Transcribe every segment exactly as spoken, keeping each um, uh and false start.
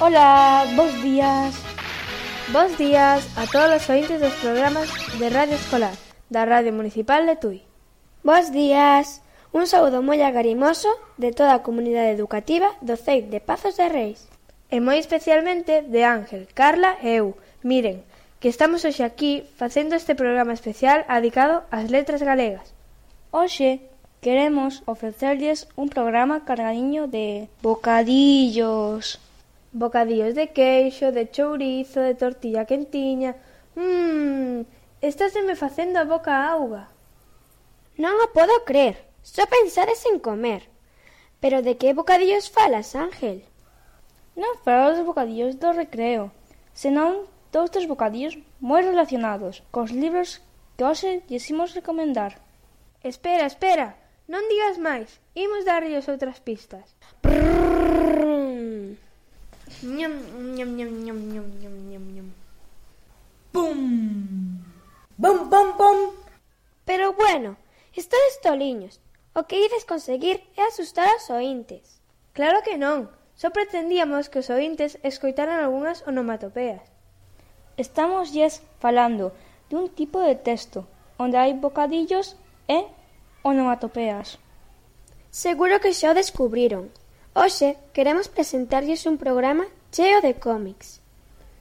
Ola, bos días. Bos días a todos os ointes dos programas de Radio Escolar da Radio Municipal de Tui. Bos días. Un saúdo moi agarimoso de toda a comunidade educativa do C E I de Pazos de Reis. E moi especialmente de Ángel, Carla e eu. Miren, que estamos hoxe aquí facendo este programa especial dedicado ás letras galegas. Hoxe queremos ofrecerlles un programa cargadiño de bocadillos. Bocadillos de queixo, de chourizo, de tortilla quentiña. Mmm, estásteme facendo a boca a auga. Non o podo crer, só pensades en comer. Pero de que bocadillos falas, Ángel? Non falo dos bocadillos do recreo, senón doutros bocadillos moi relacionados cos libros que hoxe lles imos recomendar. Espera, espera, non digas máis, imos darlles outras pistas. Prrrr. Ñam, ñam, ñam, ñam, ñam, ñam, ñam, ñam. Pum! Bom, bom, bom! Pero bueno, estades toliños. O que ides conseguir é asustar aos ointes. Claro que non, só pretendíamos que os ointes escoitaran algunhas onomatopeas. Estamos lles falando dun tipo de texto onde hai bocadillos e onomatopeas. Seguro que xa o descubriron. Hoxe queremos presentarlles un programa cheo de cómics.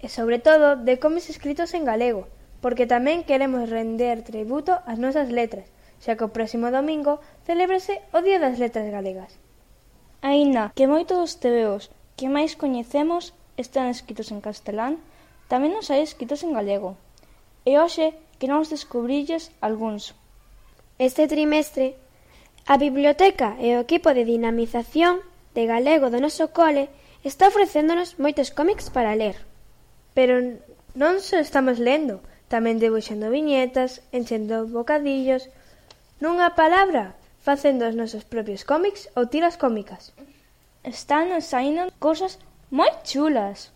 E sobre todo de cómics escritos en galego, porque tamén queremos render tributo ás nosas letras, xa que o próximo domingo celébrase o Día das Letras Galegas. Aínda que moitos dos tebeos que máis coñecemos están escritos en castelán, tamén nos hai escritos en galego. E hoxe queremos descubrirlles algúns. Este trimestre, a Biblioteca e o equipo de dinamización de galego do noso cole está ofrecéndonos moitos cómics para ler. Pero non só estamos lendo, tamén debuxando viñetas, enchendo bocadillos, nunha palabra, facendo os nosos propios cómics ou tiras cómicas. Están nos saindo cosas moi chulas.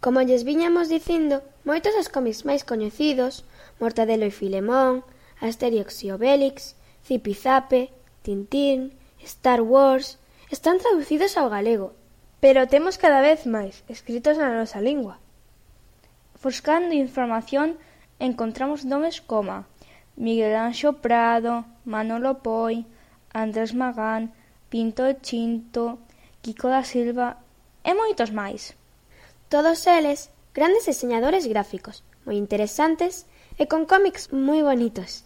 Como lles viñamos dicindo, moitos dos cómics máis coñecidos, Mortadelo e Filemón, Asterix e Obélix, Zipizape, Tintín, Star Wars, están traducidos ao galego, pero temos cada vez máis escritos na nosa lingua. Buscando información encontramos nomes como Miguel Anxo Prado, Manolo Poi, Andrés Magán, Pinto e Chinto, Kiko da Silva e moitos máis. Todos eles grandes diseñadores gráficos, moi interesantes e con cómics moi bonitos,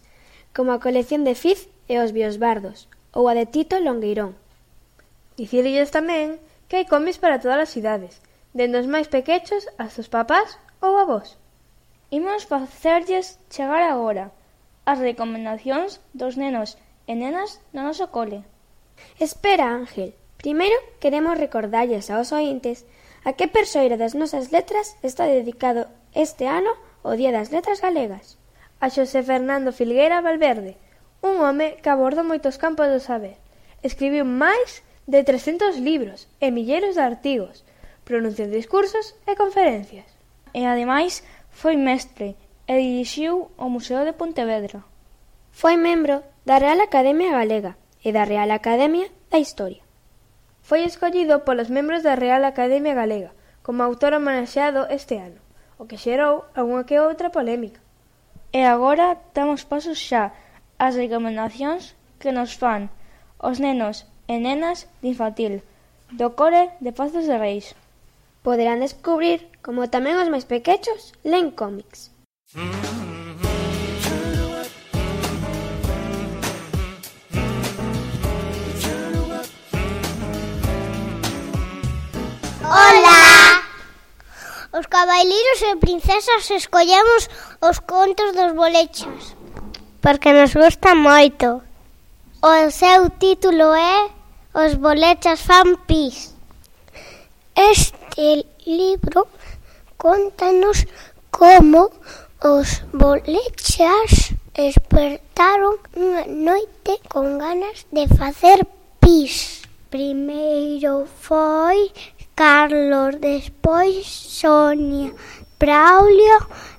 como a colección de Fiz e os Biosbardos ou a de Tito Longueirón. Dicirlles tamén que hai cómics para todas as idades, dende os máis pequechos hasta os papás ou avós. Imos facerlles chegar agora as recomendacións dos nenos e nenas do noso cole. Espera, Ángel. Primeiro queremos recordarlles aos ointes a que persoeira das nosas letras está dedicado este ano ao Día das Letras Galegas. A Xosé Fernando Filgueira Valverde, un home que abordou moitos campos do saber. Escribiu máis de trescentos libros e milleiros de artigos, pronunciou discursos e conferencias. E ademais foi mestre e dirixiu o Museo de Pontevedra. Foi membro da Real Academia Galega e da Real Academia da Historia. Foi escollido polos membros da Real Academia Galega como autor homenaxeado este ano, o que xerou algunha que outra polémica. E agora damos pasos xa ás recomendacións que nos fan os nenos e nenas de infantil do cole de Pazos de Reis. Poderán descubrir como tamén os máis pequechos len cómics. Ola! Os cabaileiros e princesas escollemos os contos dos bolechas porque nos gusta moito. O seu título é Os bolechas fan pis. Este libro contanos como os bolechas despertaron unha noite con ganas de facer pis. Primeiro foi Carlos, despois Sonia, Braulio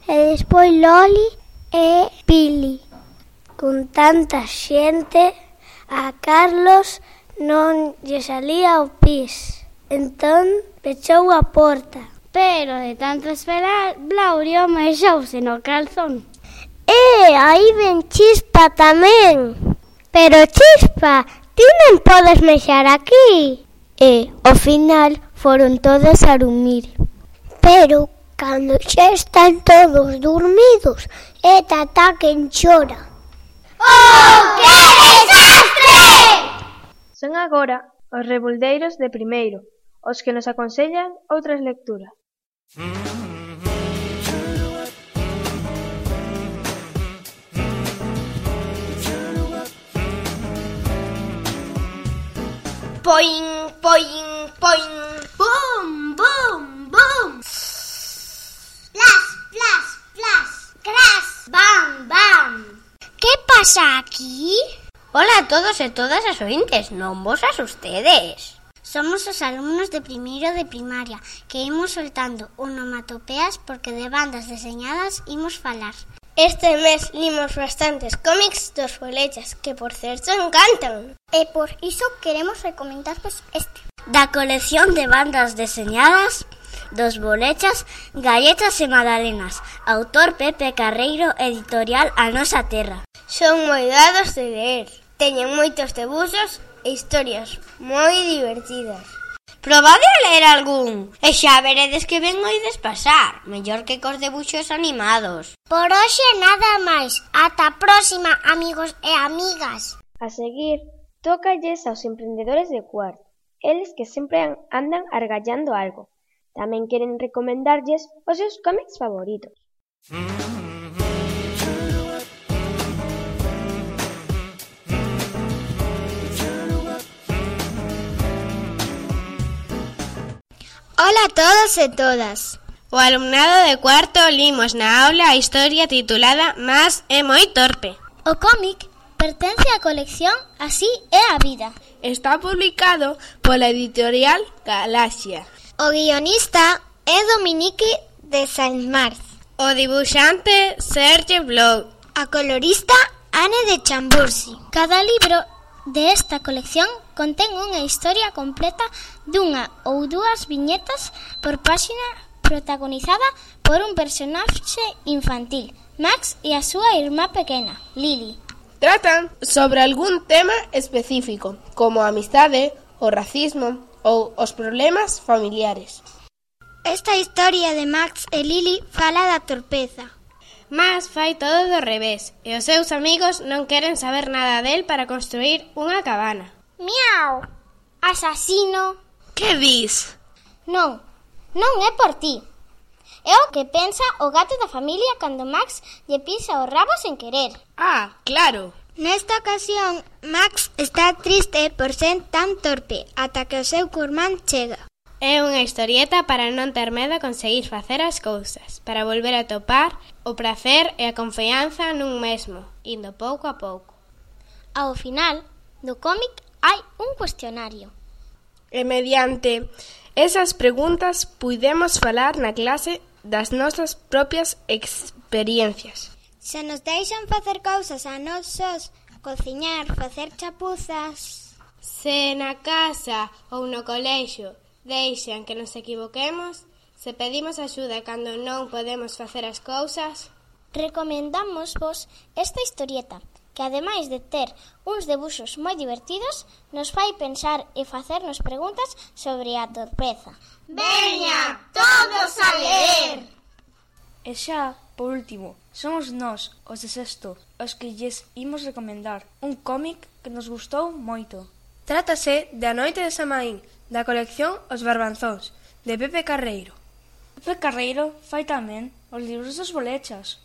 e despois Loli e Pili. Con tanta xente, a Carlos non lle salía o pis. Entón pechou a porta. Pero de tanto esperar, Blaurio mexouse no calzón. E aí ven Chispa tamén. Pero Chispa, ti non podes mexar aquí. E, ao final, foron todos a dormir. Pero, cando xa están todos dormidos, e Tatá quen chora. ¡Oh, que desastre! Son agora os rebuldeiros de primeiro, os que nos aconsellan outras lecturas. Poing, poing, poing. Bum, bum, bum. Plas, plas, plas, cras, bam, bam. Que pasa aquí? Hola a todos e todas as ointes, non vos asustedes. Somos os alumnos de primeiro de primaria que imos soltando onomatopeas porque de bandas deseñadas imos falar. Este mes limos bastantes cómics dos bolechas que, por certo, encantan. E por iso queremos recomendarvos este. Da colección de bandas deseñadas dos bolechas, Galletas e Magdalenas, autor Pepe Carreiro, editorial A Nosa Terra. Son moi dados de ler, teñen moitos debuxos e historias moi divertidas. Probade a ler algún e xa veredes que ben oides pasar, mellor que cos debuxos animados. Por hoxe nada máis. Ata a próxima, amigos e amigas. A seguir, tócalles aos emprendedores de cuarto, eles que sempre andan argallando algo. Tamén queren recomendarlles os seus cómics favoritos. Ola a todos e todas. O alumnado de cuarto limos na aula a historia titulada Mas é moi torpe. O cómic pertence á colección Así é a vida. Está publicado pola editorial Galaxia. O guionista é Dominique de Saint-Mars. O dibuixante Serge Blau. A colorista Anne de Chambourcy. Cada libro desta colección contén unha historia completa dunha ou dúas viñetas por páxina protagonizada por un personaxe infantil, Max e a súa irmá pequena, Lily. Tratan sobre algún tema específico, como a amistade, o racismo ou os problemas familiares. Esta historia de Max e Lily fala da torpeza. Mas fai todo do revés e os seus amigos non queren saber nada del para construir unha cabana. Miau! Asasino! Que dis? Non, non é por ti. É o que pensa o gato da familia cando Max lle pisa o rabo sen querer. Ah, claro. Nesta ocasión, Max está triste por ser tan torpe ata que o seu curmán chega. É unha historieta para non ter medo a conseguir facer as cousas, para volver a topar o prazer e a confianza nun mesmo, indo pouco a pouco. Ao final do cómic hai un cuestionario. E mediante esas preguntas puidemos falar na clase das nosas propias experiencias. Se nos deixan facer cousas a nós sós, cociñar, facer chapuzas... Se na casa ou no colexio deixan que nos equivoquemos, se pedimos axuda cando non podemos facer as cousas... Recomendamos vos esta historieta, que ademais de ter uns debuxos moi divertidos, nos fai pensar e facernos preguntas sobre a torpeza. Veña, todos a ler! E xa, por último, somos nós, os de sexto, os que lles imos recomendar un cómic que nos gustou moito. Trátase de A noite de Samaín, da colección Os Barbanzóns, de Pepe Carreiro. Pepe Carreiro fai tamén os libros dos bolechas.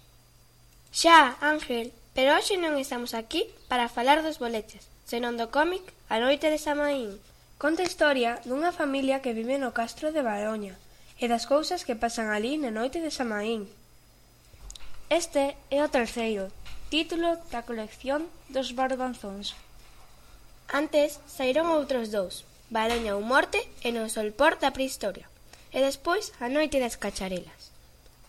Xa, Ángel, pero hoxe non estamos aquí para falar dos bolechas, senón do cómic A noite de Samaín. Conta a historia dunha familia que vive no castro de Baroña e das cousas que pasan ali na noite de Samaín. Este é o terceiro título da colección dos Barbanzóns. Antes saíron outros dous, Baroña ou morte e no solpor da prehistoria, e despois A noite das cacharelas.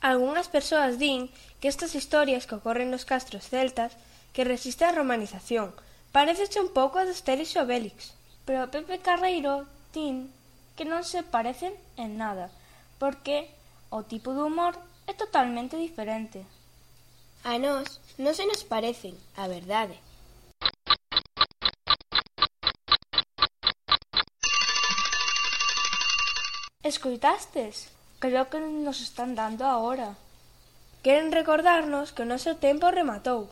Algúnas persoas din que estas historias que ocorren nos castros celtas que resisten a romanización, parecese un pouco a Asterix e Obélix. Pero Pepe Carreiro din que non se parecen en nada, porque o tipo de humor é totalmente diferente. A nós non se nos parecen, a verdade. Escoitastes? Creo que nos están dando a hora. Queren recordarnos que o noso tempo rematou.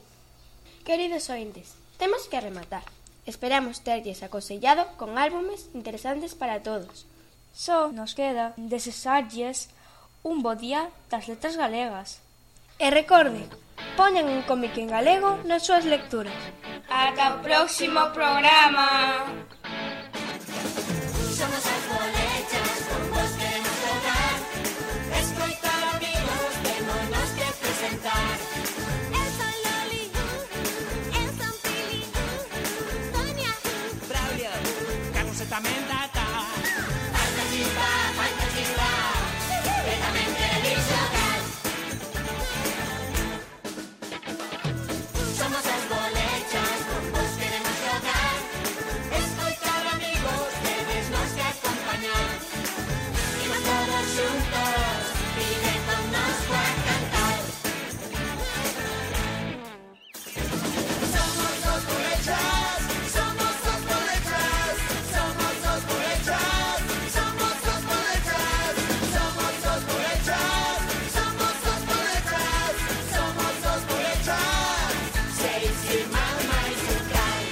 Queridos ointes, temos que rematar. Esperamos terlles aconsellado con álbumes interesantes para todos. Só nos queda desexarlles un bo día das letras galegas. E recorden, poñan un cómic en galego nas súas lecturas. Ata o próximo programa. Somos as bolechas, con vos queremos tocar. Escoitar amigos, témonos que presentar. Eu son Loli, eu son Pili, Sonia, Braulio, Carlos e tamén Tata. Falta chispa, falta chispa, que tamén queréis xogar. Somos as bolechas, con vos queremos xogar. Escoitar amigos, tedes nos que acompañar. Imos todos xuntos, divertónnos coa cantar. Somos os bolechas, somos os bolechas, somos os bolechas, somos os bolechas, somos os bolechas, somos os bolechas, somos os bolechas. Seis irmãos máis un cal.